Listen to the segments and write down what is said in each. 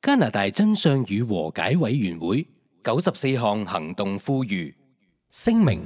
加拿大真相與和解委員會94項行動呼籲。聲明：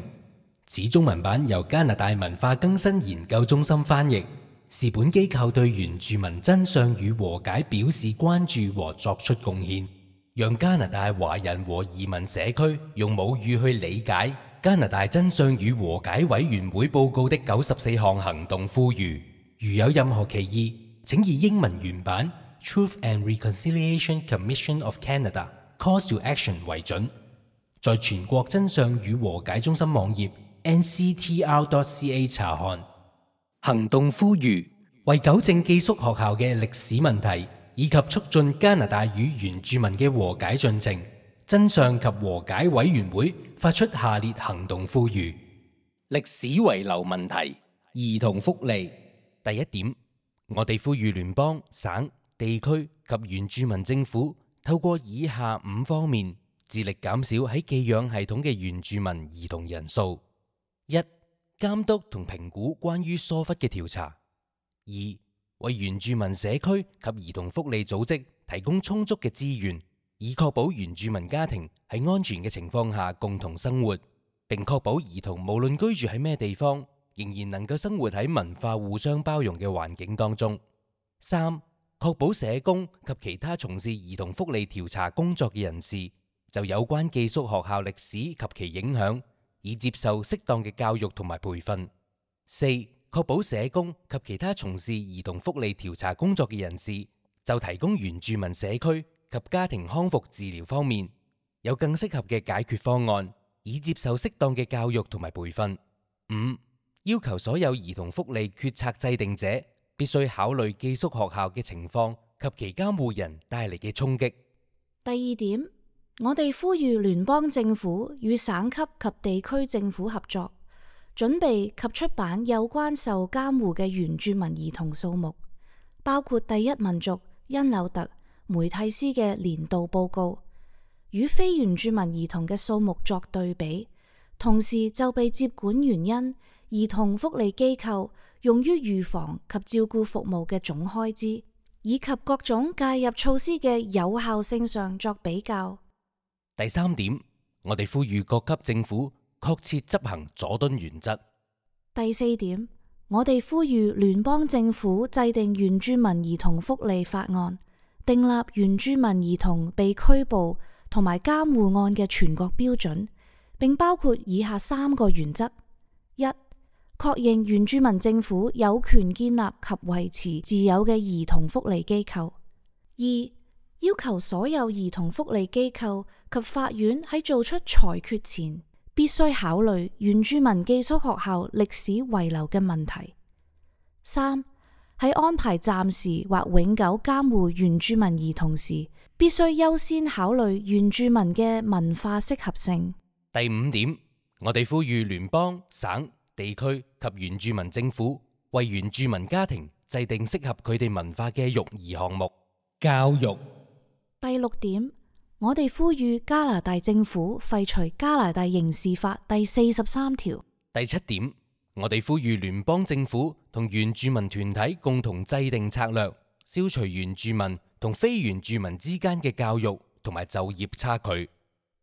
此中文版由加拿大文化更新研究中心翻譯，是本機構對原住民真相與和解表示關注和作出貢獻，讓加拿大華人和移民社區用母語去理解加拿大真相與和解委員會報告的94項行動呼籲。如有任何歧義，請以英文原版 Truth and Reconciliation Commission of Canada Calls to Action 為準，在全國真相與和解中心網頁 nctr.ca 查看。行動呼籲為糾正寄宿學校嘅歷史問題，以及促進加拿大與原住民嘅和解進程，真相及和解委員會發出下列行動呼籲：歷史遺留問題、兒童福利。第一點，我哋呼籲聯邦、省、地區及原住民政府透過以下5方面，致力減少喺寄養系統嘅原住民兒童人數。1. 監督同評估關於疏忽嘅調查。2. 為原住民社區及兒童福利組織提供充足嘅資源，以確保原住民家庭喺安全嘅情況下共同生活，並確保兒童無論居住喺咩地方，仍然能夠生活喺文化互相包容嘅環境當中。3. 確保社工及其他從事兒童福利調查工作嘅人士就有關寄宿學校歷史及其影響，以接受適當嘅教育同埋培訓。4. 確保社工及其他從事兒童福利調查工作嘅人士就提供原住民社區及家庭康復治療方面有更適合嘅解決方案，以接受適當嘅教育同埋培訓。5. 要求所有兒童福利決策制定者必須考慮寄宿學校嘅情況及其監護人帶嚟嘅衝擊。第二點，我哋呼籲聯邦政府與省級及地區政府合作，準備及出版有關受監護嘅原住民兒童數目，包括第一民族因紐特梅蒂斯嘅年度報告，與非原住民兒童嘅數目作對比，同時就被接管原因、兒童福利機構用於預防及照顧服務嘅總開支，以及各種介入措施嘅有效性上作比較。第三點，我哋呼籲各級政府確切執行佐敦原則。第四點，我哋呼籲聯邦政府制定原住民兒童福利法案，訂立原住民兒童被拘捕同埋監護案嘅全國標準，並包括以下3個原則： 1. 確認原住民政府有權建立及維持自有嘅兒童福利機構； 2. 要求所有兒童福利機構及法院喺做出裁決前，必須考慮原住民寄宿學校歷史遺留嘅問題。 3. 喺安排暫時或永久監護原住民兒童時，必須優先考慮原住民嘅文化適合性。第5點，我哋呼籲聯邦、省、地區及原住民政府為原住民家庭制定適合佢哋文化嘅育兒項目。教育。第6點，我哋呼籲加拿大政府廢除加拿大刑事法第43條。第7點，我哋呼籲聯邦政府同原住民團體共同制定策略，消除原住民同非原住民之間嘅教育同埋就業差距。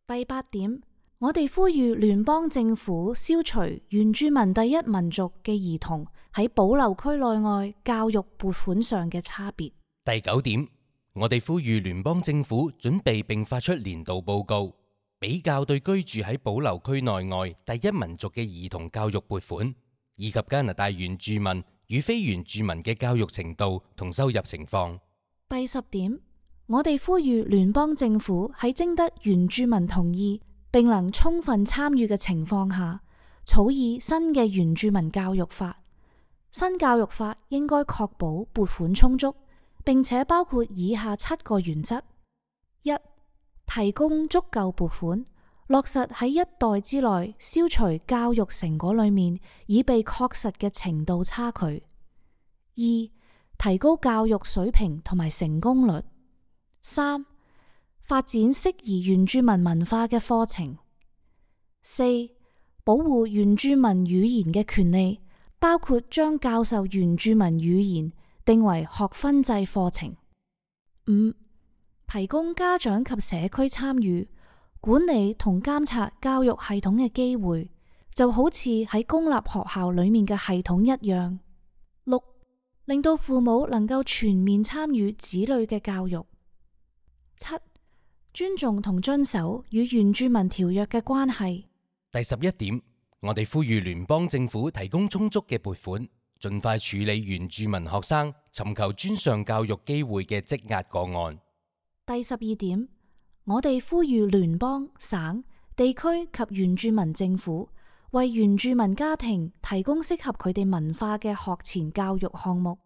第8點，我哋呼籲聯邦政府消除原住民第一民族嘅兒童喺保留區內外教育撥款上嘅差別。第9點，我哋呼籲聯邦政府準備並發出年度報告，比較對居住喺保留區內外第一民族嘅兒童教育撥款，以及加拿大原住民與非原住民嘅教育程度同收入情況。第10點，我哋呼籲聯邦政府喺徵得原住民同意並能充分參與嘅情況下，草擬新嘅原住民教育法。新教育法應該確保撥款充足，並且包括以下7個原則： 1. 提供足夠撥款，落實喺一代之內消除教育成果裏面已被確實嘅程度差距； 2. 提高教育水平同埋成功率； 3. 發展適宜原住民文化嘅課程； 4. 保護原住民語言嘅權利，包括將教授原住民語言定為學分制課程； 5. 提供家長及社區參與、管理同監察教育系統嘅機會，就好似喺公立學校裏面嘅系統一樣。6. 令到父母能夠全面參與子女嘅教育。7. 尊重同遵守與原住民條約嘅關係。第11點，我哋呼籲聯邦政府提供充足嘅撥款，盡快處理原住民學生尋求專上教育機會嘅積壓個案。第12點，我哋呼籲聯邦、省、地區及原住民政府為原住民家庭提供適合佢哋文化嘅學前教育項目。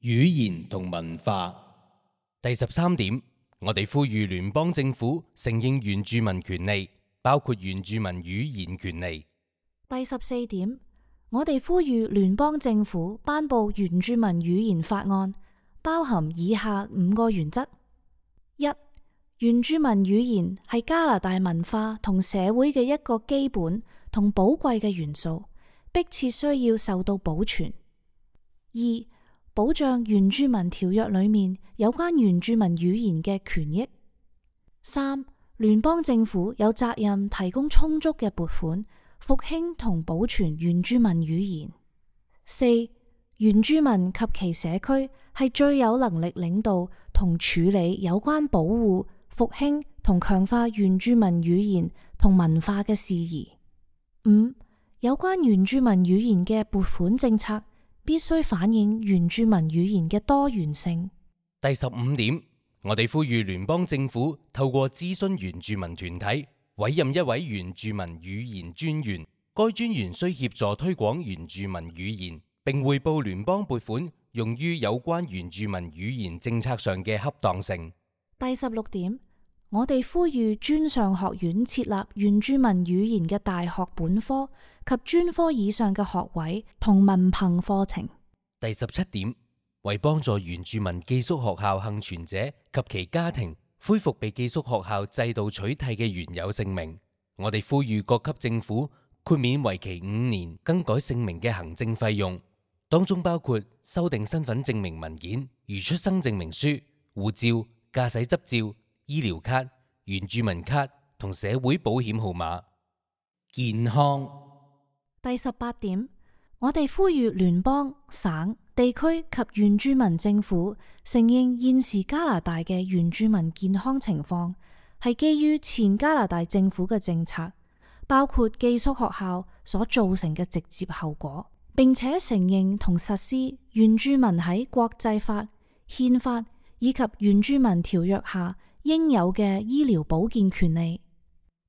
語言同文化。第13點，我哋呼籲聯邦政府承認原住民權利，包括原住民語言權利。第14點，我哋呼籲聯邦政府頒布原住民語言法案，包含以下5個原則。1. 原住民語言係加拿大文化同社會嘅一個基本同寶貴嘅元素，迫切需要受到保存。 2. 保障原住民條約裏面有關原住民語言嘅權益。 3. 聯邦政府有責任提供充足嘅撥款，復興同保存原住民語言。 4. 原住民及其社區係最有能力領導同處理有關保護、復興同強化原住民語言同文化嘅事宜。 5. 有關原住民語言嘅撥款政策必須反映原住民語言嘅多元性。第15點，我哋呼籲聯邦政府透過諮詢原住民團體，委任一位原住民語言專員。該專員需協助推廣原住民語言，並匯報聯邦撥款用於有關原住民語言政策上嘅恰當性。第16點，我哋呼籲專上學院設立原住民語言嘅大學本科及專科以上嘅學位同文憑課程。第17點，為幫助原住民寄宿學校幸存者及其家庭恢復被寄宿學校制度取締嘅原有姓名，我哋呼籲各級政府豁免為期5年更改姓名嘅行政費用，當中包括修訂身份證明文件，如出生證明書、護照、駕駛執照、醫療卡、原住民卡同社會保險號碼。健康。第18點，我哋呼籲聯邦、省、地區及原住民政府承認現時加拿大嘅原住民健康情況係基於前加拿大政府嘅政策，包括寄宿學校所造成嘅直接後果，並且承認同實施原住民喺國際法、憲法以及原住民條約下應有嘅醫療保健權利。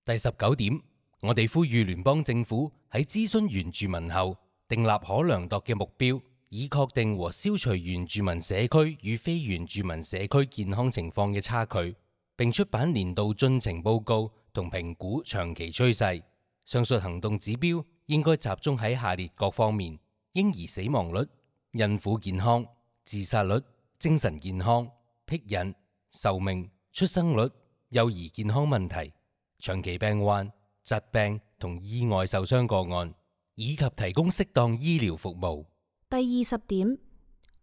第19點，我哋呼籲聯邦政府喺諮詢原住民後，訂立可量度嘅目標，以確定和消除原住民社區與非原住民社區健康情況嘅差距，並出版年度進程報告同評估長期趨勢。上述行動指標應該集中喺下列各方面：嬰兒死亡率、孕婦健康、自殺率、精神健康、僻孕、壽命、出生率、幼兒健康問題、長期病患、疾病同意外受傷個案，以及提供適當醫療服務。第20點，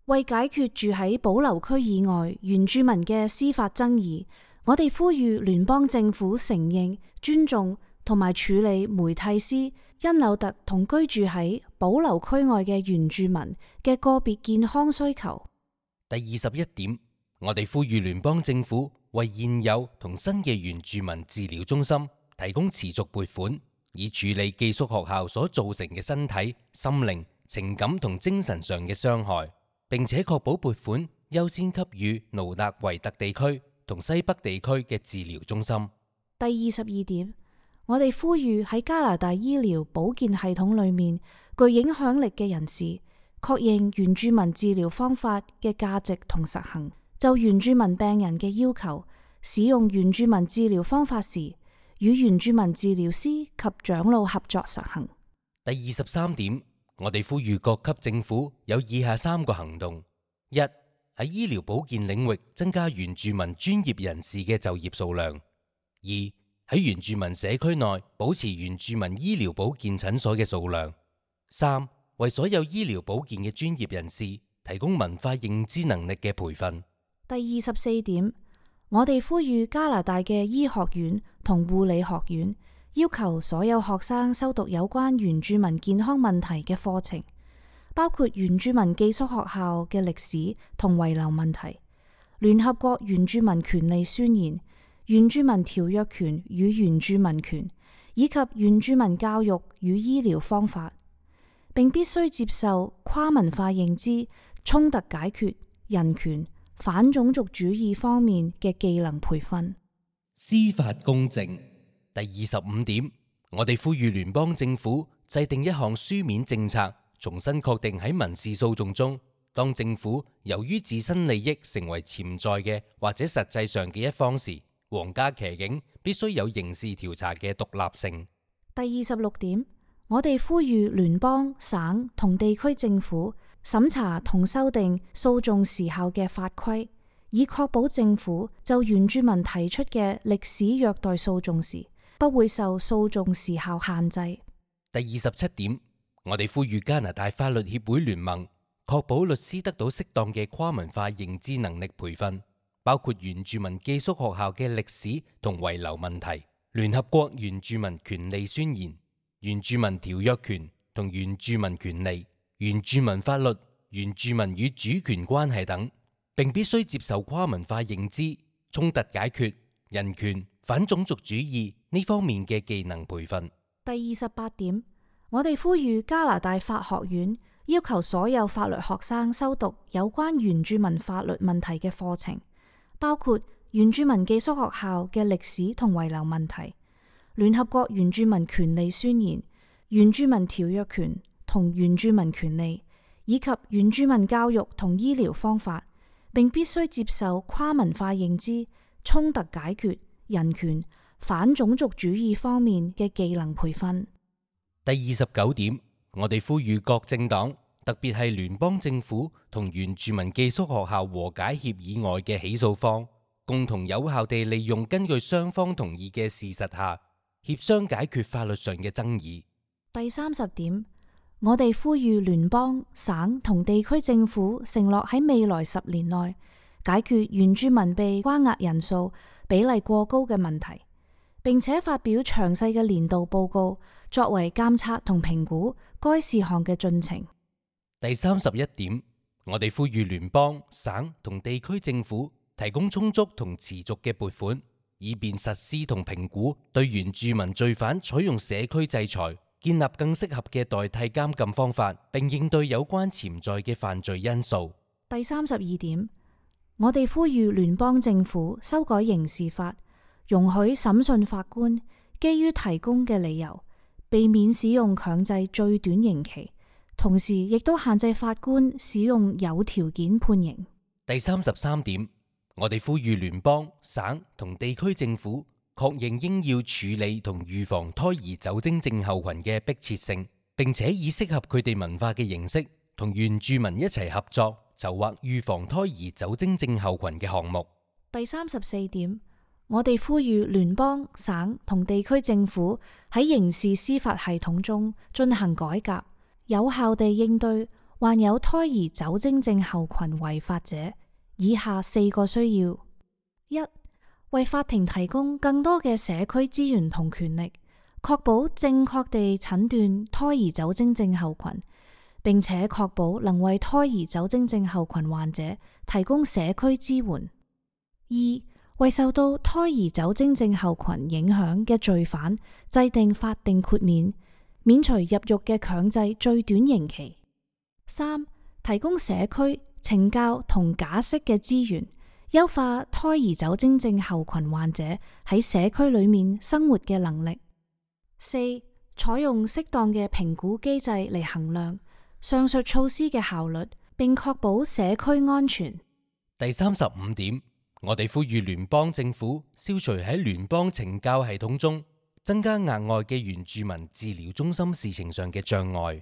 為解決住喺保留區以外原住民嘅司法爭議，我哋呼籲聯邦政府承認、尊重同埋處理梅蒂斯、因紐特同居住喺保留區外嘅原住民嘅個別健康需求。第21點，我哋呼籲聯邦政府為現有同新嘅原住民治療中心提供持續撥款，以處理寄宿學校所造成嘅身體、心靈、情感同精神上嘅傷害，並且確保撥款優先給予努納維特地區同西北地區嘅治療中心。第22點，我哋呼籲喺加拿大醫療保健系統裏面具影響力嘅人士，確認原住民治療方法嘅價值同實行，就原住民病人嘅要求，使用原住民治療方法時，與原住民治療師及長老合作實行。第23點，我哋呼籲各級政府有以下3個行動： 1. 喺醫療保健領域增加原住民專業人士嘅就業數量； 2. 喺原住民社區內保持原住民醫療保健診所嘅數量； 3. 為所有醫療保健嘅專業人士提供文化認知能力嘅培訓。第24點，我哋呼籲加拿大嘅醫學院同護理學院要求所有學生修讀有關原住民健康問題嘅課程，包括原住民寄宿學校嘅歷史同遺留問題、聯合國原住民權利宣言、原住民條約權與原住民權，以及原住民教育與醫療方法，並必須接受跨文化認知、衝突解決、人權、反種族主義方面嘅技能培訓。司法公正。第25點，我哋呼籲聯邦政府制定一項書面政策，重新確定喺民事訴訟中，當政府由於自身利益成為潛在嘅或者實際上嘅一方時，皇家騎警必須有刑事調查嘅獨立性。第26點，我哋呼籲聯邦、省同地區政府審查同修訂訴訟時效嘅法規，以確保政府就原住民提出嘅歷史虐待訴訟時，不會受訴訟時效限制。第27點，我哋呼籲加拿大法律協會聯盟確保律師得到適當嘅跨文化認知能力培訓，包括原住民寄宿學校嘅歷史同遺留問題、聯合國原住民權利宣言、原住民條約權同原住民權利、原住民法律、原住民與主權關係等，並必須接受跨文化認知、衝突解決、人權、反種族主義呢方面嘅技能培訓。第28點，我哋呼籲加拿大法學院要求所有法律學生修讀有關原住民法律問題嘅課程，包括原住民寄宿學校嘅歷史同遺留問題、聯合國原住民權利宣言、原住民條約權同原住民權利，以及原住民教育同醫療方法，並必須接受跨文化認知、衝突解決、人權、反種族主義方面嘅技能培訓。第29點，我哋呼籲各政黨，特別係聯邦政府同原住民寄宿學校和解協議外嘅起訴方，共同有效地利用根據雙方同意嘅事實下，協商解決法律上嘅爭議。第30點，我哋呼籲聯邦、省同地區政府承諾喺未來10年內解決原住民被關押人數比例過高嘅問題，並且發表詳細嘅年度報告，作為監察同評估該事項嘅進程。第31點，我哋呼籲聯邦、省同地區政府提供充足同持續嘅撥款，以便實施同評估對原住民罪犯採用社區制裁，建立更適合嘅代替監禁方法，並應對有關潛在嘅犯罪因素。第32點，我哋呼籲聯邦政府修改刑事法，容許審訊法官基於提供嘅理由，避免使用強制最短刑期，同時亦都限制法官使用有條件判刑。第33點，我哋呼籲聯邦、省同地區政府確認應要處理同預防胎兒酒精症候群嘅迫切性，並且以適合佢哋文化嘅形式，同原住民一齊合作，籌劃預防胎兒酒精症候群嘅項目。第34點，我哋呼籲聯邦、省同地區政府喺刑事司法系統中進行改革，有效地應對患有胎兒酒精症候群違法者。以下4個需要： 1. 為法庭提供更多嘅社區資源同權力，確保正確地診斷胎兒酒精症候群，並且確保能為胎兒酒精症候群患者提供社區支援。 2. 為受到胎兒酒精症候群影響嘅罪犯制定法定豁免，免除入獄嘅強制最短刑期。 3. 提供社區、懲教同假釋嘅資源，優化胎兒酒精症候群患者喺社區裏面生活嘅能力。 4. 採用適當嘅評估機制嚟衡量上述措施嘅效率，並確保社區安全。第35點，我哋呼籲聯邦政府消除喺聯邦懲教系統中增加額外嘅原住民治療中心事情上嘅障礙。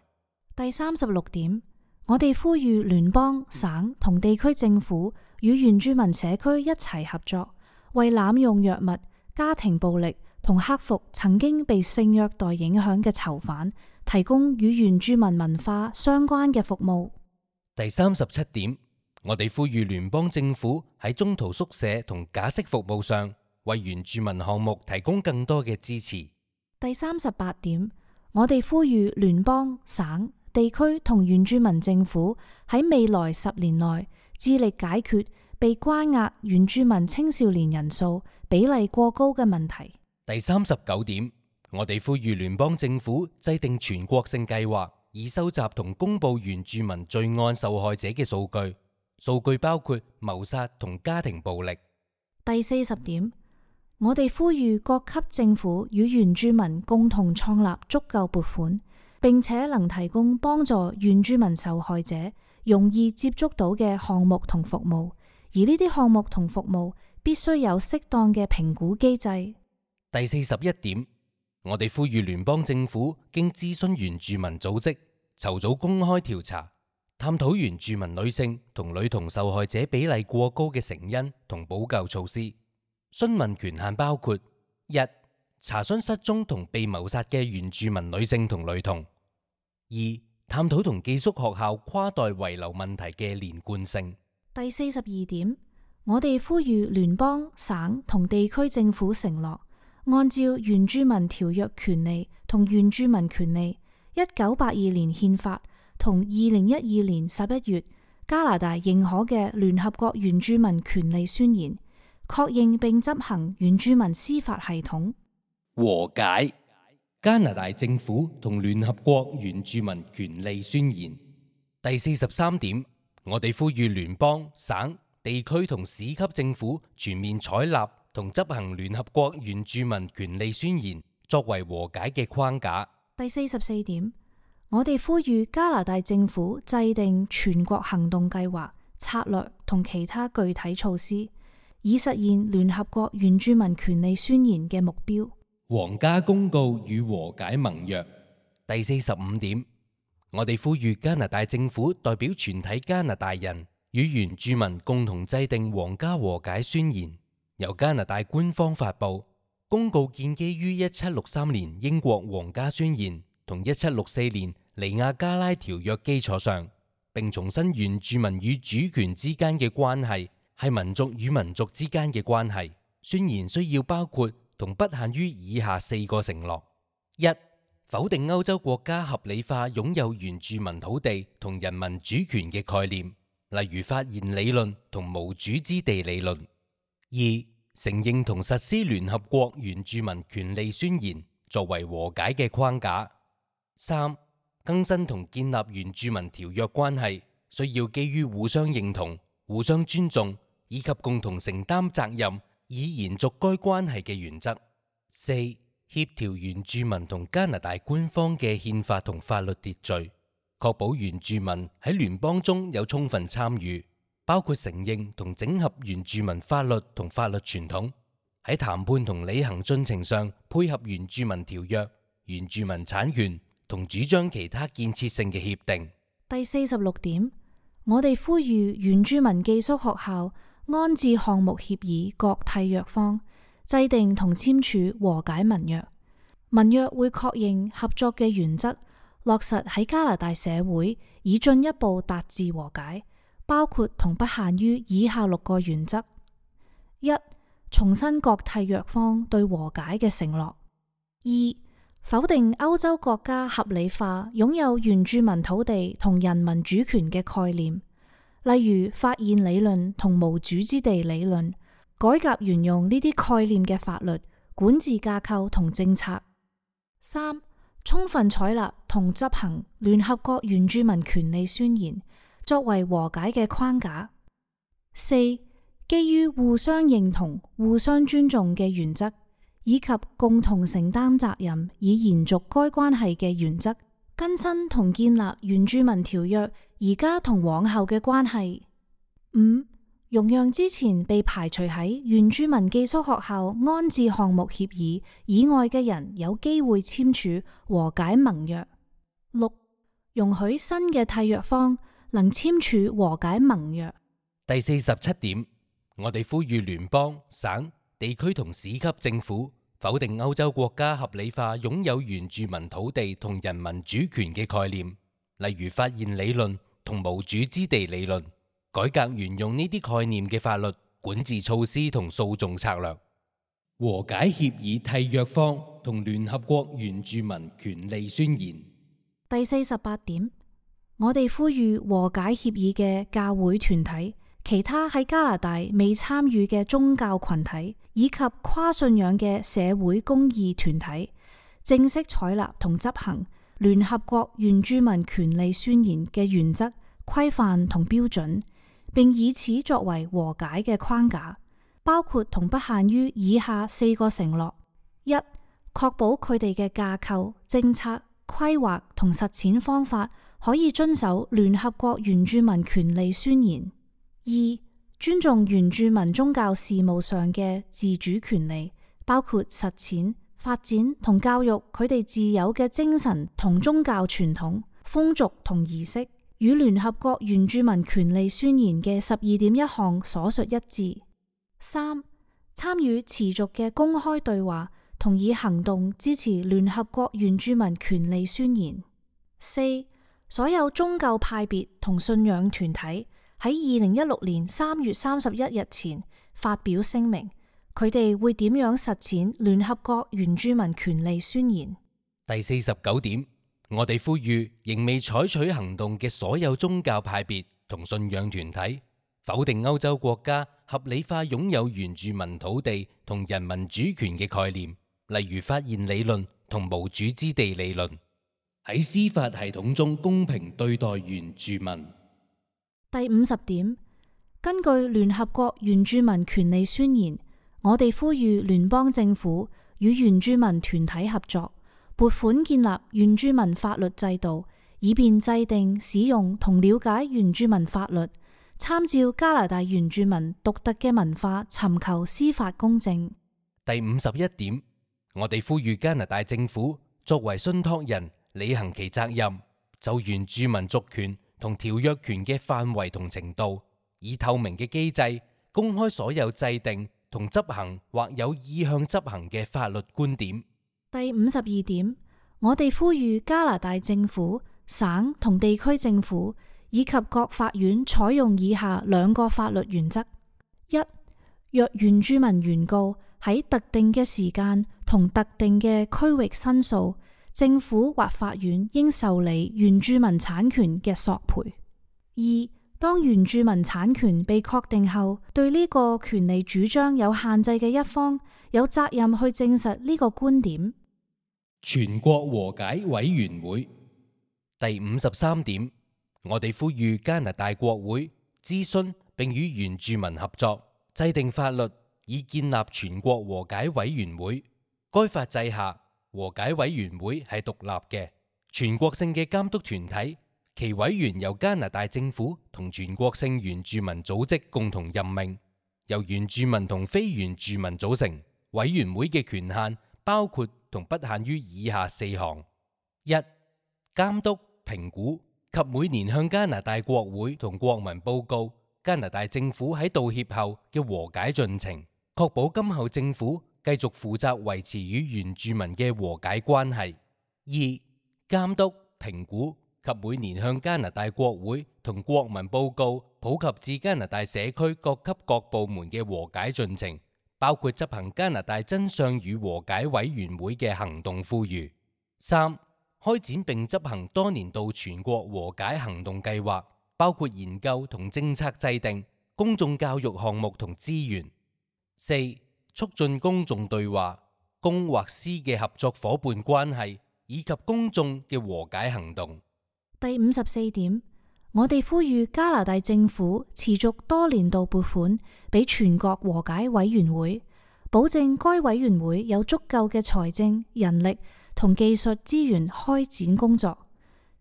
第36點，我哋呼籲聯邦、省同地區政府與原住民社區一齊合作，為濫用藥物、家庭暴力同克服曾經被性虐待影響嘅囚犯提供與原住民文化相關嘅服務。第37點，我哋呼籲聯邦政府喺中途宿舍同假釋服務上，為原住民項目提供更多嘅支持。第38點，我哋呼籲聯邦、省、地區同原住民政府喺未來10年內致力解決被關押原住民青少年人數比例過高嘅問題。第39點，我哋呼籲聯邦政府制定全國性計劃，以收集同公佈原住民罪案受害者嘅數據。數據包括謀殺同家庭暴力。第40點，我哋呼籲各級政府與原住民共同創立足夠撥款，並且能提供幫助原住民受害者容易接觸到嘅項目同服務，而呢啲項目同服務必須有適當嘅評估機制。第41點，我哋呼籲聯邦政府經諮詢原住民組織，籌組公開調查，探討原住民女性同女童受害者比例過高嘅成因同補救措施。詢問權限包括： 1. 查詢失蹤同被謀殺嘅原住民女性同女童； 2. 探討同寄宿學校跨代遺留問題嘅連貫性。第42點，我哋呼籲聯邦、省同地區政府承諾，按照原住民條約權利同原住民權利、1982年憲法同2012年11月加拿大認可嘅聯合國原住民權利宣言，確認並執行原住民司法系統。和解。加拿大政府同聯合國原住民權利宣言。第43點，我哋呼籲聯邦、省、地區同市級政府全面採納同執行聯合國原住民權利宣言，作為和解嘅框架。第44點，我哋呼籲加拿大政府制定全國行動計劃、策略同其他具體措施，以實現聯合國原住民權利宣言嘅目標。皇家公告與和解盟約。第45點，我哋呼籲加拿大政府代表全體加拿大人與原住民共同制定皇家和解宣言，由加拿大官方發布。公告建基於1763年英國皇家宣言同1764年尼亞加拉條約基礎上，並重申原住民與主權之間嘅關係係民族與民族之間嘅關係。宣言需要包括同不限於以下4個承諾： 1. 否定歐洲國家合理化擁有原住民土地同人民主權嘅概念，例如發現理論同無主之地理論； 2. 承認同實施聯合國原住民權利宣言作為和解嘅框架； 3. 更新同建立原住民條約關係需要基於互相認同、互相尊重以及共同承擔責任，以延續該關係嘅原則。 4. 協調原住民同加拿大官方嘅憲法同法律秩序，確保原住民喺聯邦中有充分參與，包括承認同整合原住民法律同法律傳統，喺談判同履行進程上配合原住民條約、原住民產權同主張其他建設性嘅協定。第46點，我哋呼籲原住民寄宿學校安置項目協議各締約方制定同簽署和解盟約。盟約會確認合作嘅原則，落實喺加拿大社會，以進一步達至和解，包括同不限於以下6個原則： 1. 重申各締約方對和解嘅承諾； 2. 否定歐洲國家合理化擁有原住民土地同人民主權嘅概念，例如發現理論同無主之地理論，改革沿用呢啲概念嘅法律、管治架構同政策。 3. 充分採納同執行聯合國原住民權利宣言，作為和解嘅框架。 4. 基於互相認同、互相尊重嘅原則，以及共同承擔責任以延續該關係嘅原則，更新同建立原住民條約而家同往後嘅關係。 5. 容讓之前被排除喺原住民寄宿學校安置項目協議以外嘅人有機會簽署和解盟約。 6. 容許新嘅締約方能簽署和解盟約。第47點，我哋呼籲聯邦、省、地區同市級政府否定歐洲國家合理化擁有原住民土地同人民主權嘅概念，例如發現理論同無主之地理論，改革沿用呢啲概念嘅法律、管治措施同訴訟策略。和解協議締約方同聯合國原住民權利宣言。第48點，我哋呼籲和解協議嘅教會團體、其他喺加拿大未參與嘅宗教群體以及跨信仰嘅社會公義團體，正式採納同執行聯合國原住民權利宣言嘅原則、規範同標準，並以此作為和解嘅框架，包括同不限於以下4個承諾：一、確保佢哋嘅架構、政策、規劃同實踐方法可以遵守聯合國原住民權利宣言；二、尊重原住民宗教事務上嘅自主權利，包括實踐、發展同教育佢哋自有嘅精神同宗教傳統、風俗同儀式，與聯合國原住民權利宣言嘅12.1項所述一致。三、參與持續嘅公開對話，同以行動支持聯合國原住民權利宣言。四、所有宗教派別同信仰團體喺2016年3月31日前發表聲明，佢哋會點樣實踐聯合國原住民權利宣言。第49點，我哋呼籲仍未採取行動嘅所有宗教派別同信仰團體，否定歐洲國家合理化擁有原住民土地同人民主權嘅概念，例如發現理論同無主之地理論，喺司法系統中公平對待原住民。第50點，根據聯合國原住民權利宣言，我哋呼籲聯邦政府與原住民團體合作，撥款建立原住民法律制度，以便制定、使用同了解原住民法律，參照加拿大原住民獨特嘅文化，尋求司法公正。第51點，我哋呼籲加拿大政府作為信託人，履行其責任，就原住民族權同條約權嘅範圍同程度，以透明嘅機制公開所有制定同執行或有意向執行嘅法律觀點。第52點，我哋呼籲加拿大政府、省同地區政府以及各法院採用以下2個法律原則：一、若原住民原告喺特定嘅時間同特定嘅區域申訴，政府或法院應受理原住民產權嘅索賠。二、當原住民產權被確定後，對呢個權利主張有限制嘅一方有責任去證實呢個觀點。全國和解委員會。第53點，我哋呼籲加拿大國會諮詢並與原住民合作，制定法律以建立全國和解委員會。該法制下，和解委員會係獨立嘅全國性嘅監督團體，其委員由加拿大政府同全國性原住民組織共同任命，由原住民同非原住民組成。委員會嘅權限包括同不限於以下4項：一、監督、評估及每年向加拿大國會同國民報告加拿大政府喺道歉後嘅和解進程，確保今後政府繼續負責維持與原住民嘅和解關係。二、監督、評估及每年向加拿大國會同國民報告普及至加拿大社區各級各部門嘅和解進程，包括執行加拿大真相與和解委員會嘅行動呼籲。三、開展並執行多年度全國和解行動計劃，包括研究同政策制定、公眾教育項目同資源。四、促進公眾對話、公或私嘅合作夥伴關係，以及公眾嘅和解行動。第54點，我哋呼籲加拿大政府持續多年度撥款俾全國和解委員會，保證該委員會有足夠嘅財政、人力同技術資源開展工作，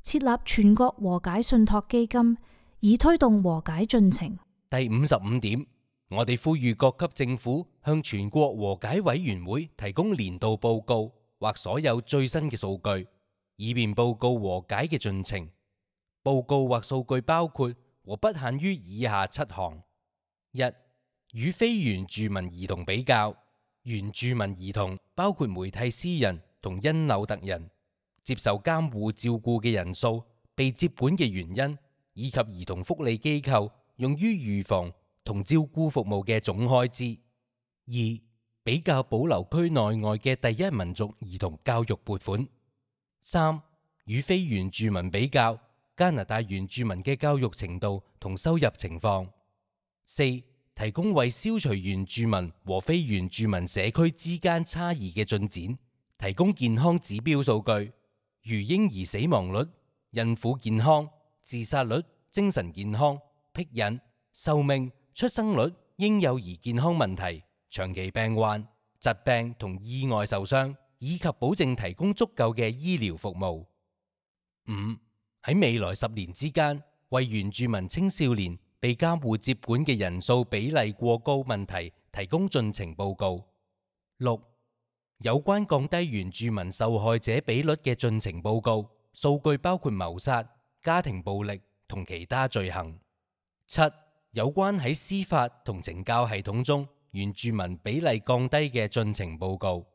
設立全國和解信託基金，以推動和解進程。第55點，我哋呼籲各級政府向全國和解委員會提供年度報告或所有最新嘅數據，以便報告和解嘅進程。報告或數據包括和不限於以下7項：一、與非原住民兒童比較，原住民兒童包括梅蒂斯人同因紐特人，接受監護照顧嘅人數、被接管嘅原因，以及兒童福利機構用於預防同照顧服務嘅總開支。2、比較保留區內外嘅第一民族兒童教育撥款。3、與非原住民比較加拿大原住民嘅教育程度同收入情況。4、提供為消除原住民和非原住民社區之間差異嘅進展，提供健康指標數據，如嬰兒死亡率、孕婦健康、自殺率、精神健康、僻孕、壽命、出生率、嬰幼兒健康問題、長期病患、疾病同意外受傷，以及保證提供足夠嘅醫療服務。5、喺未來10年之間，為原住民青少年被監護接管嘅人數比例過高問題提供進程報告。6、有關降低原住民受害者比率嘅進程報告，數據包括謀殺、家庭暴力同其他罪行。7、有關喺司法同懲教系統中原住民比例降低嘅進程報告。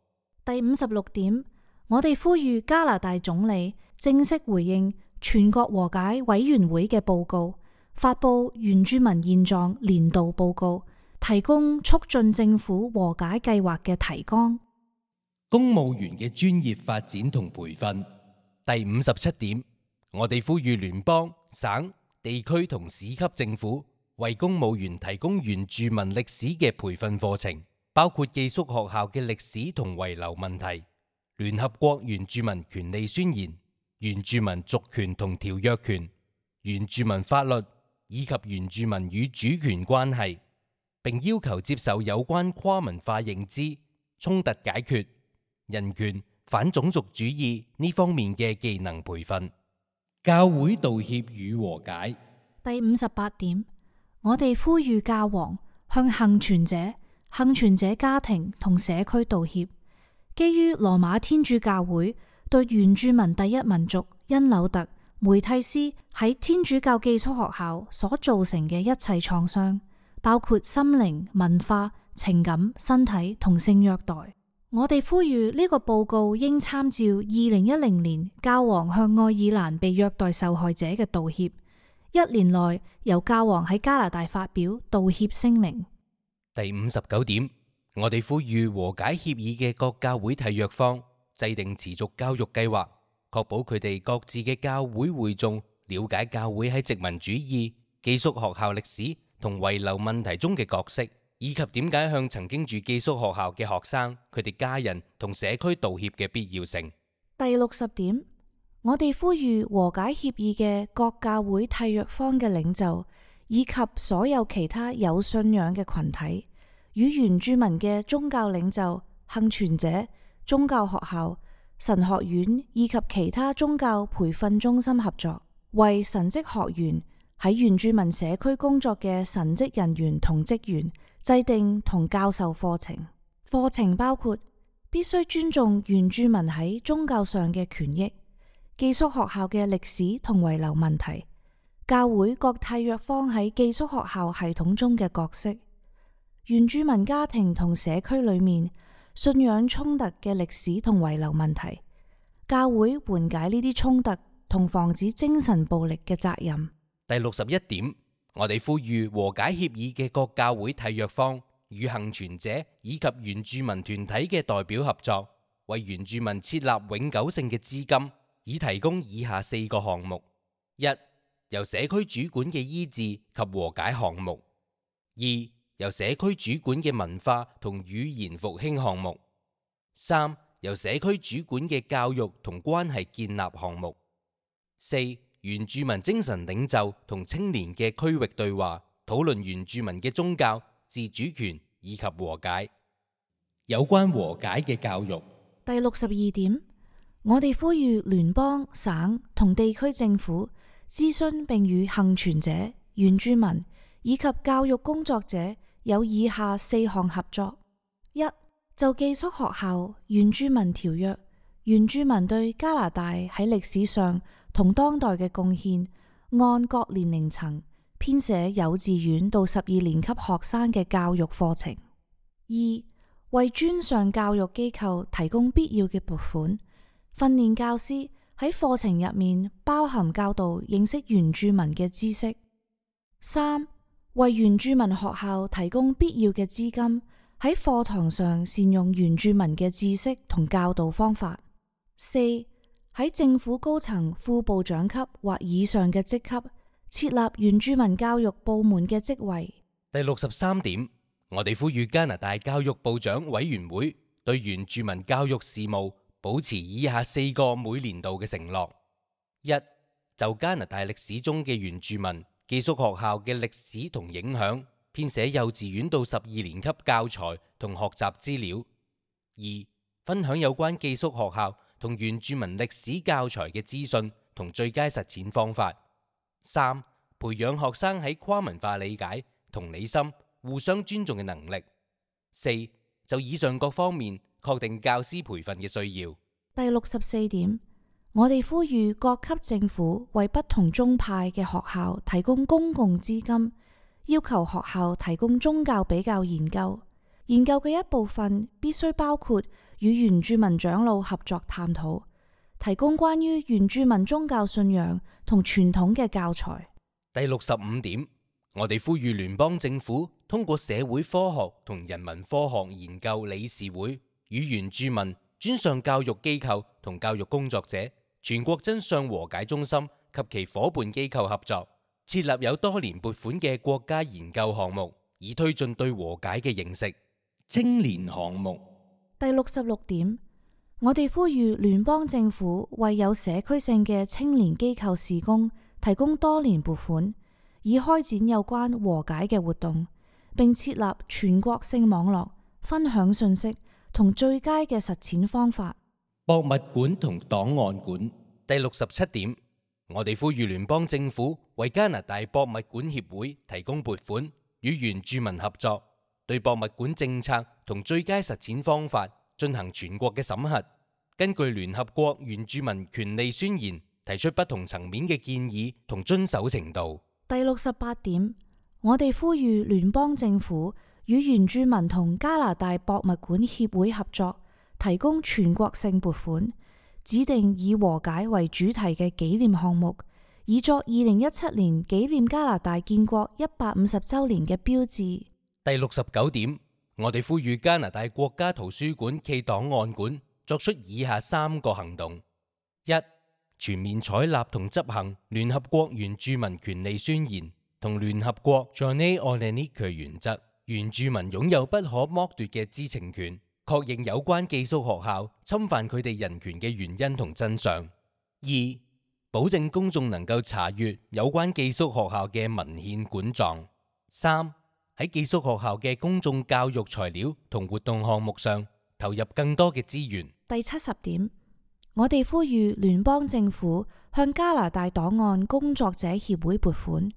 第56點，我哋呼籲加拿大總理正式回應全國和解委員會嘅報告，發佈原住民現狀年度報告，提供促進政府和解計劃嘅提綱。公務員嘅專業發展同培訓。第57點，我哋呼籲聯邦、省、地區同市級政府為公務員提供原住民歷史嘅培訓課程，包括寄宿學校嘅歷史同遺留問題、聯合國原住民權利宣言、原住民族權同條約權、原住民法律以及原住民與主權關係，並要求接受有關跨文化認知、衝突解決、人權、反種族主義呢方面嘅技能培訓。教會道歉與和解。第58點，我哋呼籲教皇向幸存者、幸存者家庭同社區道歉，基於羅馬天主教會對原住民第一民族因紐特梅蒂斯喺天主教寄宿學校所造成嘅一切創傷，包括心靈、文化、情感、身體同性虐待。我哋呼籲呢個報告應參照2010年教皇向愛爾蘭被虐待受害者嘅道歉，1年內由教皇喺加拿大發表道歉聲明。第59點，我哋呼籲和解協議嘅各教會締約方制定持續教育計劃，確保佢哋各自嘅教會會眾了解教會喺殖民主義、寄宿學校歷史同遺留問題中嘅角色，以及點解向曾經住寄宿學校嘅學生、佢哋家人同社區道歉嘅必要性。第60點，我哋呼籲和解協議嘅各教會締約方嘅領袖，以及所有其他有信仰嘅群體，與原住民嘅宗教領袖、幸存者、宗教學校、神學院以及其他宗教培訓中心合作，為神職學員喺原住民社區工作嘅神職人員同職員制定同教授課程。課程包括必須尊重原住民喺宗教上嘅權益、寄宿學校嘅歷史同遺留問題、教會各締約方喺寄宿學校系統中嘅角色、原住民家庭同社區裏面信仰衝突嘅歷史同遺留問題、教會緩解呢啲衝突同防止精神暴力嘅責任。第61點，我哋呼籲和解協議嘅各教會締約方與幸存者以及原住民團體嘅代表合作，為原住民設立永久性嘅資金，以提供以下4個項目： 1. 由社區主管嘅醫治及和解項目； 2. 由社區主管嘅文化同語言復興項目； 3. 由社區主管嘅教育同關係建立項目； 4. 原住民精神領袖同青年嘅區域對話，討論原住民嘅宗教、自主權以及和解。有關和解嘅教育。第62點，我哋呼籲聯邦、省同地區政府諮詢並與幸存者、原住民以及教育工作者有以下4項合作： 1. 就寄宿學校原住民條約，原住民對加拿大喺歷史上同當代嘅貢獻，按各年齡層編寫幼稚園到12年級學生嘅教育課程。 2. 為專上教育機構提供必要嘅撥款，訓練教師喺課程入面包含教導認識原住民嘅知識。 3. 為原住民學校提供必要嘅資金，喺課堂上善用原住民嘅知識同教導方法。四、喺政府高層副部長級或以上嘅職級設立原住民教育部門嘅職位。第63點，我哋呼籲加拿大教育部長委員會對原住民教育事務保持以下4個每年度嘅承諾：一、就加拿大歷史中嘅原住民寄宿學校嘅歷史同影響，編寫幼稚園到12年級教材同學習資料；二、分享有關寄宿學校同原住民歷史教材嘅資訊同最佳實踐方法；三、培養學生喺跨文化理解、同理心、互相尊重嘅能力；四、就以上各方面確定教師培訓嘅需要。第64點，我哋呼籲各級政府為不同宗派嘅學校提供公共資金，要求學校提供宗教比較研究。研究嘅一部分必須包括與原住民長老合作探討，提供關於原住民宗教信仰同傳統嘅教材。第65點，我哋呼籲聯邦政府通過社會科學同人文科學研究理事會與原住民專上教育機構同教育工作者、全國真相和解中心及其夥伴機構合作，設立有多年撥款嘅國家研究項目，以推進對和解嘅認識。青年項目。第66點，我哋呼籲聯邦政府為有社區性嘅青年機構事工提供多年撥款，以開展有關和解嘅活動，並設立全國性網絡，分享信息同最佳嘅實踐方法。博物館同檔案館。第67點，我哋呼籲聯邦政府為加拿大博物館協會提供撥款，與原住民合作，對博物館政策同最佳實踐方法進行全國嘅審核，根據聯合國原住民權利宣言提出不同層面嘅建議同遵守程度。第68點，我哋呼籲聯邦政府與原住民同加拿大博物館協會合作，提供全國性撥款，指定以和解為主題嘅紀念項目，以作2017年紀念加拿大建國150週年嘅標誌。第69點，我哋呼籲加拿大國家圖書館暨檔案館作出以下3個行動：一、全面採納同執行聯合國原住民權利宣言同聯合國 Journée Orléanique 原則，原住民擁有不可剝奪嘅知情權，確認有關寄宿學校侵犯佢哋人權嘅原因同真相；二、保證公眾能夠查閱有關寄宿學校嘅文獻管狀；三、喺寄宿學校嘅公眾教育材料同活動項目上投入更多嘅資源。第70點，我哋呼籲聯邦政府向加拿大檔案工作者協會撥款，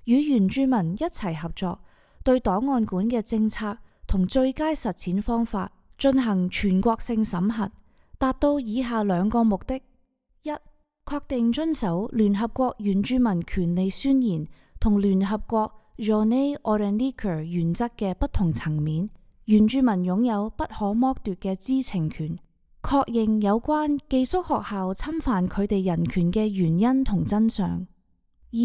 與原住民一齊合作，對檔案館嘅政策同最佳實踐方法進行全國性審核，達到以下2個目的：一、確定遵守聯合國原住民權利宣言同聯合國Journée Orléanique 原則嘅不同層面，原住民擁有不可剝奪嘅知情權，確認有關寄宿學校侵犯佢哋人權嘅原因同真相；二、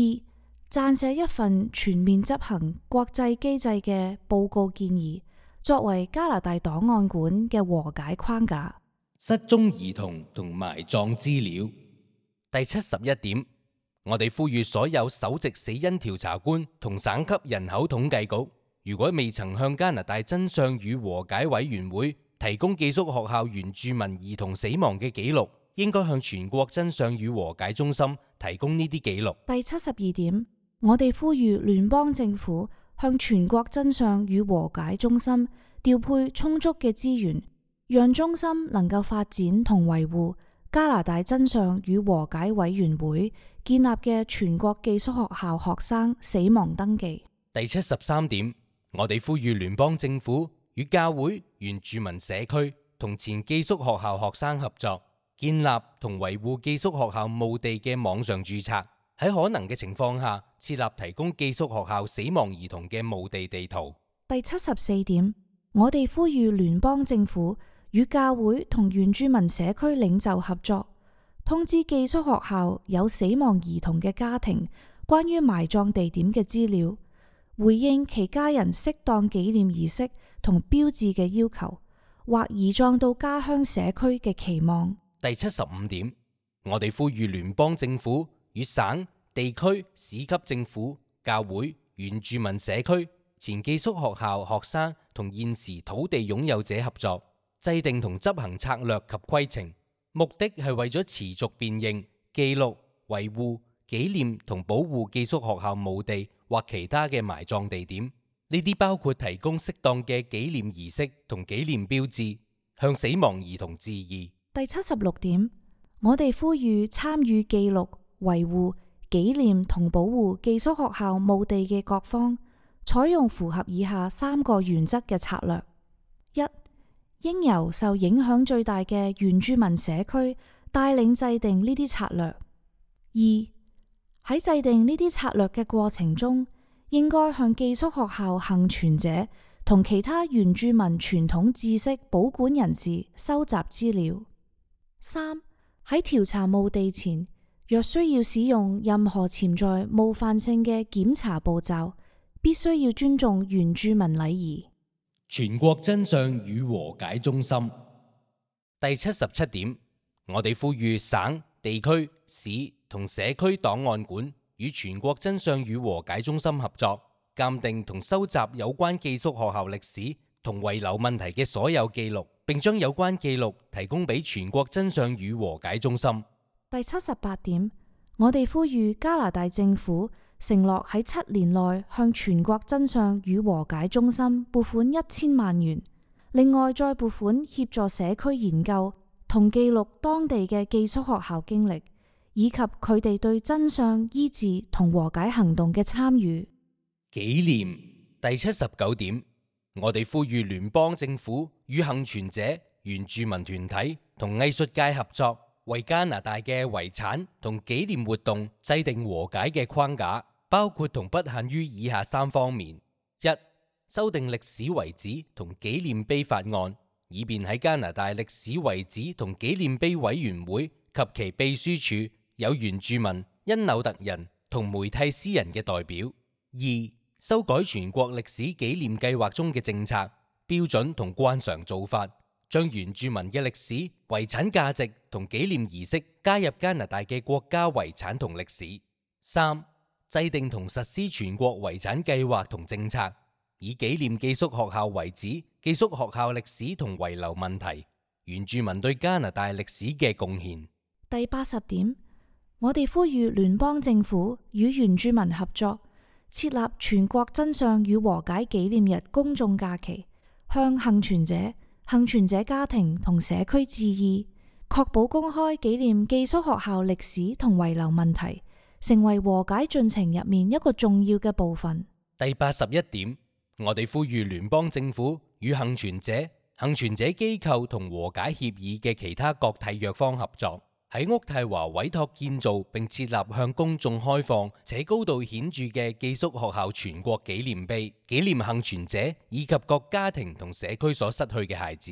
撰寫一份全面執行國際機制嘅報告建議，作為加拿大檔案館嘅和解框架。失蹤兒童同埋葬資料。第71點，我哋呼籲所有首席死因調查官同省級人口統計局，如果未曾向加拿大真相與和解委員會提供寄宿學校原住民兒童死亡嘅記錄，應該向全國真相與和解中心提供呢啲記錄。第72點，我哋呼籲聯邦政府向全國真相與和解中心調配充足嘅資源，讓中心能夠發展同維護加拿大真相與和解委員會建立嘅全國寄宿學校學生死亡登記。第73點，我哋呼籲聯邦政府與教會、原住民社區同前寄宿學校學生合作，建立同維護寄宿學校墓地嘅網上註冊，喺可能嘅情況下設立提供寄宿學校死亡兒童嘅墓地地圖。第74點，我哋呼籲聯邦政府與教會同原住民社區領袖合作，通知寄宿學校有死亡兒童嘅家庭關於埋葬地點嘅資料，回應其家人適當紀念儀式同標誌嘅要求，或移葬到家鄉社區嘅期望。第75點，我哋呼籲聯邦政府與省、地區、市級政府、教會、原住民社區、前寄宿學校學生同現時土地擁有者合作，制定同執行策略及規程，目的係為咗持續辨認、記錄、維護、紀念同保護寄宿學校墓地或其他嘅埋葬地點。呢啲包括提供適當嘅紀念儀式同紀念標誌，向死亡兒童致意。第76點，我哋呼籲參與記錄、維護、紀念同保護寄宿學校墓地嘅各方，採用符合以下3個原則嘅策略：一、應由受影響最大嘅原住民社區帶領制定呢啲策略；二、喺制定呢啲策略嘅過程中，應該向寄宿學校幸存者同其他原住民傳統知識保管人士收集資料。三、喺調查墓地前，若需要使用任何潛在冒犯性嘅檢查步驟，必須要尊重原住民禮儀。全國真相與和解中心。第77點，我哋呼籲省、地區、市同社區檔案館與全國真相與和解中心合作，鑑定同收集有關寄宿學校歷史同遺留問題嘅所有記錄，並將有關記錄提供俾全國真相與和解中心。第78點，我哋呼籲加拿大政府承諾喺7年內向全國真相與和解中心撥款1000萬元，另外再撥款協助社區研究同記錄當地嘅寄宿學校經歷，以及佢哋對真相醫治同和解行動嘅參與。紀念。第79點，我哋呼籲聯邦政府與幸存者、原住民團體同藝術界合作，為加拿大嘅遺產同紀念活動制定和解嘅框架，包括同不限於以下3方面：一、修訂歷史遺址同紀念碑法案，以便喺加拿大歷史遺址同紀念碑委員會及其秘書處有原住民、因紐特人同梅蒂斯人嘅代表；二、修改全國歷史紀念計劃中嘅政策、標準同慣常做法，將原住民嘅歷史、遺產價值同紀念儀式加入加拿大嘅國家遺產同歷史；三、制定同實施全國遺產計劃同政策，以紀念寄宿學校遺址、寄宿學校歷史同遺留問題、原住民對加拿大歷史嘅貢獻。第80點，我哋呼籲聯邦政府與原住民合作，設立全國真相與和解紀念日公眾假期，向幸存者、幸存者家庭同社區致意，確保公開紀念寄宿學校歷史同遺留問題，成為和解進程入面一個重要嘅部分。第81點，我哋呼籲聯邦政府與幸存者、幸存者機構同和解協議嘅其他各締約方合作，喺渥太華委託建造並設立向公眾開放且高度顯著嘅寄宿學校全國紀念碑，紀念幸存者以及各家庭同社區所失去嘅孩子。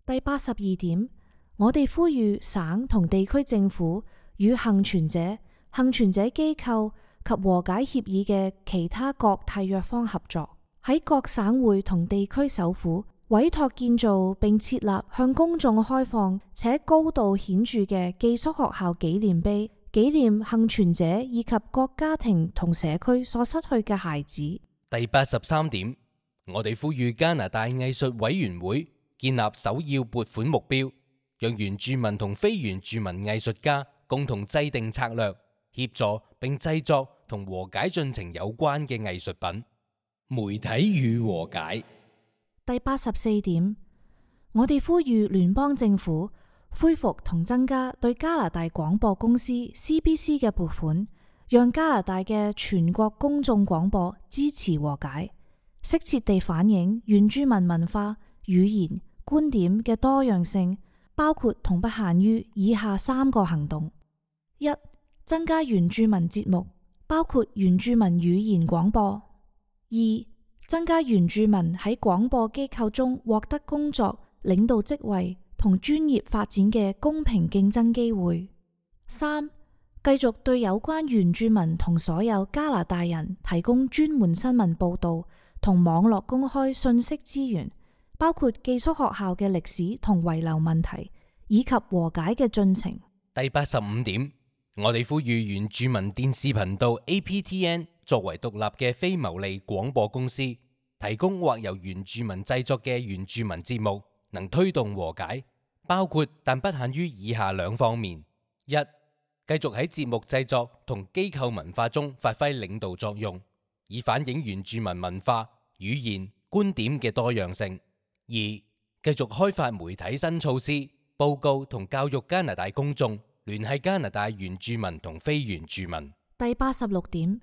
第82點，我哋呼籲省同地區政府與幸存者、幸存者機構及和解協議嘅其他各締約方合作，喺各省會同地區首府委託建造並設立向公眾開放且高度顯著嘅寄宿學校紀念碑，紀念幸存者以及各家庭同社區所失去嘅孩子。第83點，我哋呼籲加拿大藝術委員會建立首要撥款目標，讓原住民同非原住民藝術家共同制定策略，協助並製作同和解進程有關嘅藝術品。媒體與和解。第84點，我哋呼籲聯邦政府恢復同增加對加拿大廣播公司 CBC 嘅撥款，讓加拿大嘅全國公眾廣播支持和解，適切地反映原住民文化、語言、觀點嘅多樣性，包括同不限於以下3個行動：一、增加原住民節目，包括原住民語言廣播；二、增加原住民喺廣播機構中獲得工作、領導職位同專業發展嘅公平競爭機會；三、繼續對有關原住民同所有加拿大人提供專門新聞報導同網絡公開信息資源，包括寄宿學校嘅歷史同遺留問題，以及和解嘅進程。第85點，我哋呼籲原住民電視頻道 APTN 作為獨立嘅非牟利廣播公司，提供或由原住民製作嘅原住民節目，能推動和解，包括但不限於以下兩方面：一、繼續喺節目製作同機構文化中發揮領導作用，以反映原住民文化、語言、觀點嘅多樣性；二、繼續開發媒體新措施，報告同教育加拿大公眾，聯繫加拿大原住民同非原住民。第86點，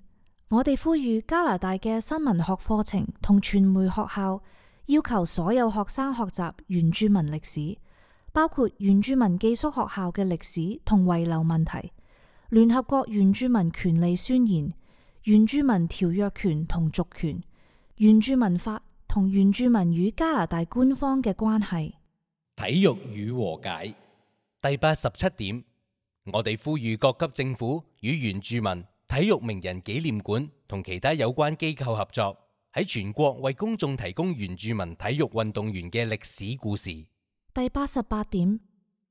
我哋呼籲加拿大嘅新聞學課程同傳媒學校要求所有學生學習原住民歷史，包括原住民寄宿學校嘅歷史同遺留問題、聯合國原住民權利宣言、原住民條約權同族權、原住民法同原住民與加拿大官方嘅關係。體育與和解。第87點，我哋呼籲各級政府與原住民、體育名人紀念館同其他有關機構合作，喺全國為公眾提供原住民體育運動員嘅歷史故事。第88點，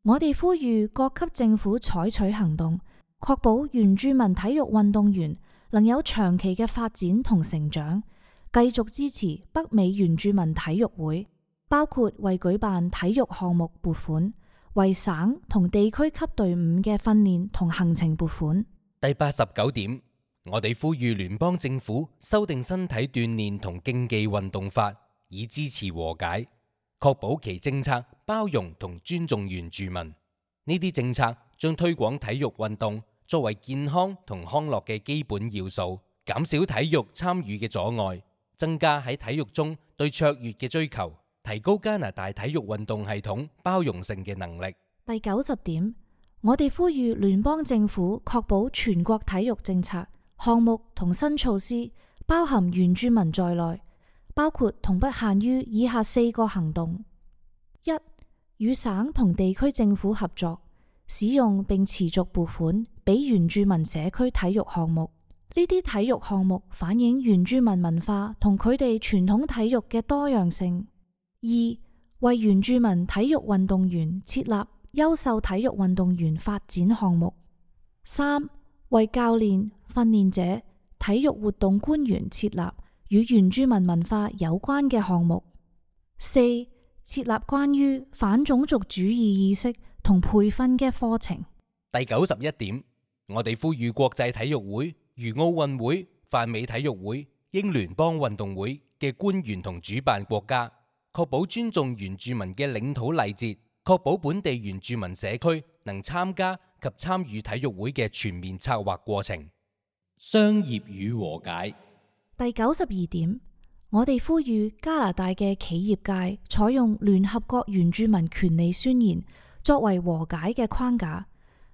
我哋呼籲各級政府採取行動，確保原住民體育運動員能有長期嘅發展同成長，繼續支持北美原住民體育會，包括為舉辦體育項目撥款，為省同地區級隊伍嘅訓練同行程撥款。第89點，我哋呼籲聯邦政府修訂身體鍛煉同競技運動法，以支持和解，確保其政策包容同尊重原住民。呢啲政策將推廣體育運動作為健康同康樂嘅基本要素，減少體育參與嘅阻礙，增加喺體育中對卓越嘅追求，提高加拿大體育運動系統包容性嘅能力。第90點，我哋呼籲聯邦政府確保全國體育政策、項目同新措施包含原住民在內，包括同不限於以下4個行動：一、與省同地區政府合作，使用並持續撥款俾原住民社區體育項目。呢啲體育項目反映原住民文化同佢哋傳統體育嘅多樣性。二、為原住民體育運動員設立優秀體育運動員發展項目。三、為教練、訓練者、體育活動官員設立與原住民文化有關嘅項目。四、設立關於反種族主義意識同培訓嘅課程。第91點，我哋呼籲國際體育會、如奧運會、泛美體育會、英聯邦運動會嘅官員同主辦國家，確保尊重原住民嘅領土禮節，確保本地原住民社區能參加及參與體育會嘅全面策劃過程。商業與和解。第92點，我哋呼籲加拿大嘅企業界採用聯合國原住民權利宣言作為和解嘅框架，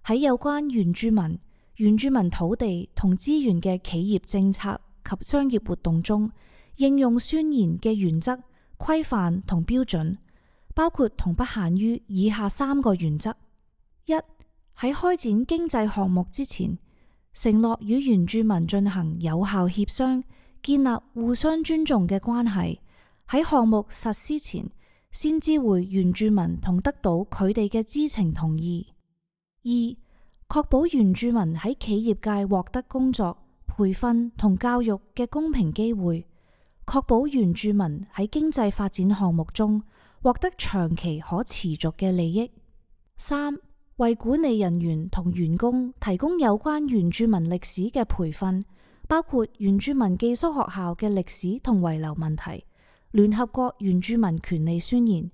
喺有關原住民、原住民土地同資源嘅企業政策及商業活動中，應用宣言嘅原則、規範同標準，包括同不限於以下3個原則：一、喺開展經濟項目之前，承諾與原住民進行有效協商，建立互相尊重嘅關係；喺項目實施前，先知會原住民同得到佢哋嘅知情同意。二、確保原住民喺企業界獲得工作、培訓同教育嘅公平機會，確保原住民喺經濟發展項目中獲得長期可持續嘅利益。三、為管理人員同員工提供有關原住民歷史嘅培訓，包括原住民寄宿學校嘅歷史同遺留問題、聯合國原住民權利宣言、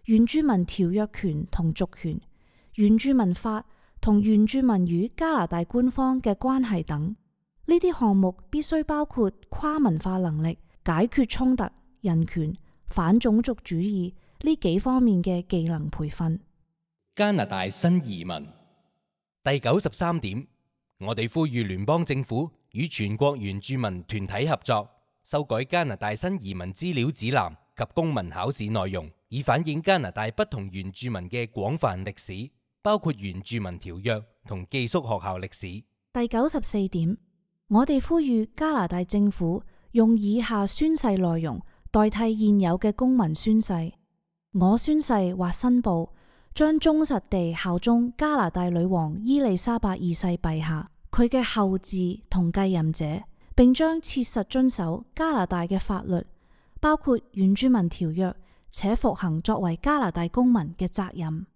原住民條約權同族權、原住民法同原住民與加拿大官方嘅關係等。呢啲項目必須包括跨文化能力、解決衝突、人權、反種族主義呢幾方面嘅技能培訓。加拿大新移民。第93點，我哋呼籲聯邦政府與全國原住民團體合作，修改加拿大新移民資料指南及公民考試內容，以反映加拿大不同原住民嘅廣泛歷史，包括原住民條約同寄宿學校歷史。第94點，我哋呼籲加拿大政府用以下宣誓內容代替現有嘅公民宣誓。我宣誓或申報將忠實地效忠加拿大女王伊麗莎白二世陛下，佢嘅後嗣同繼任者，並將切實遵守加拿大嘅法律，包括原住民條約，且服行作為加拿大公民嘅責任。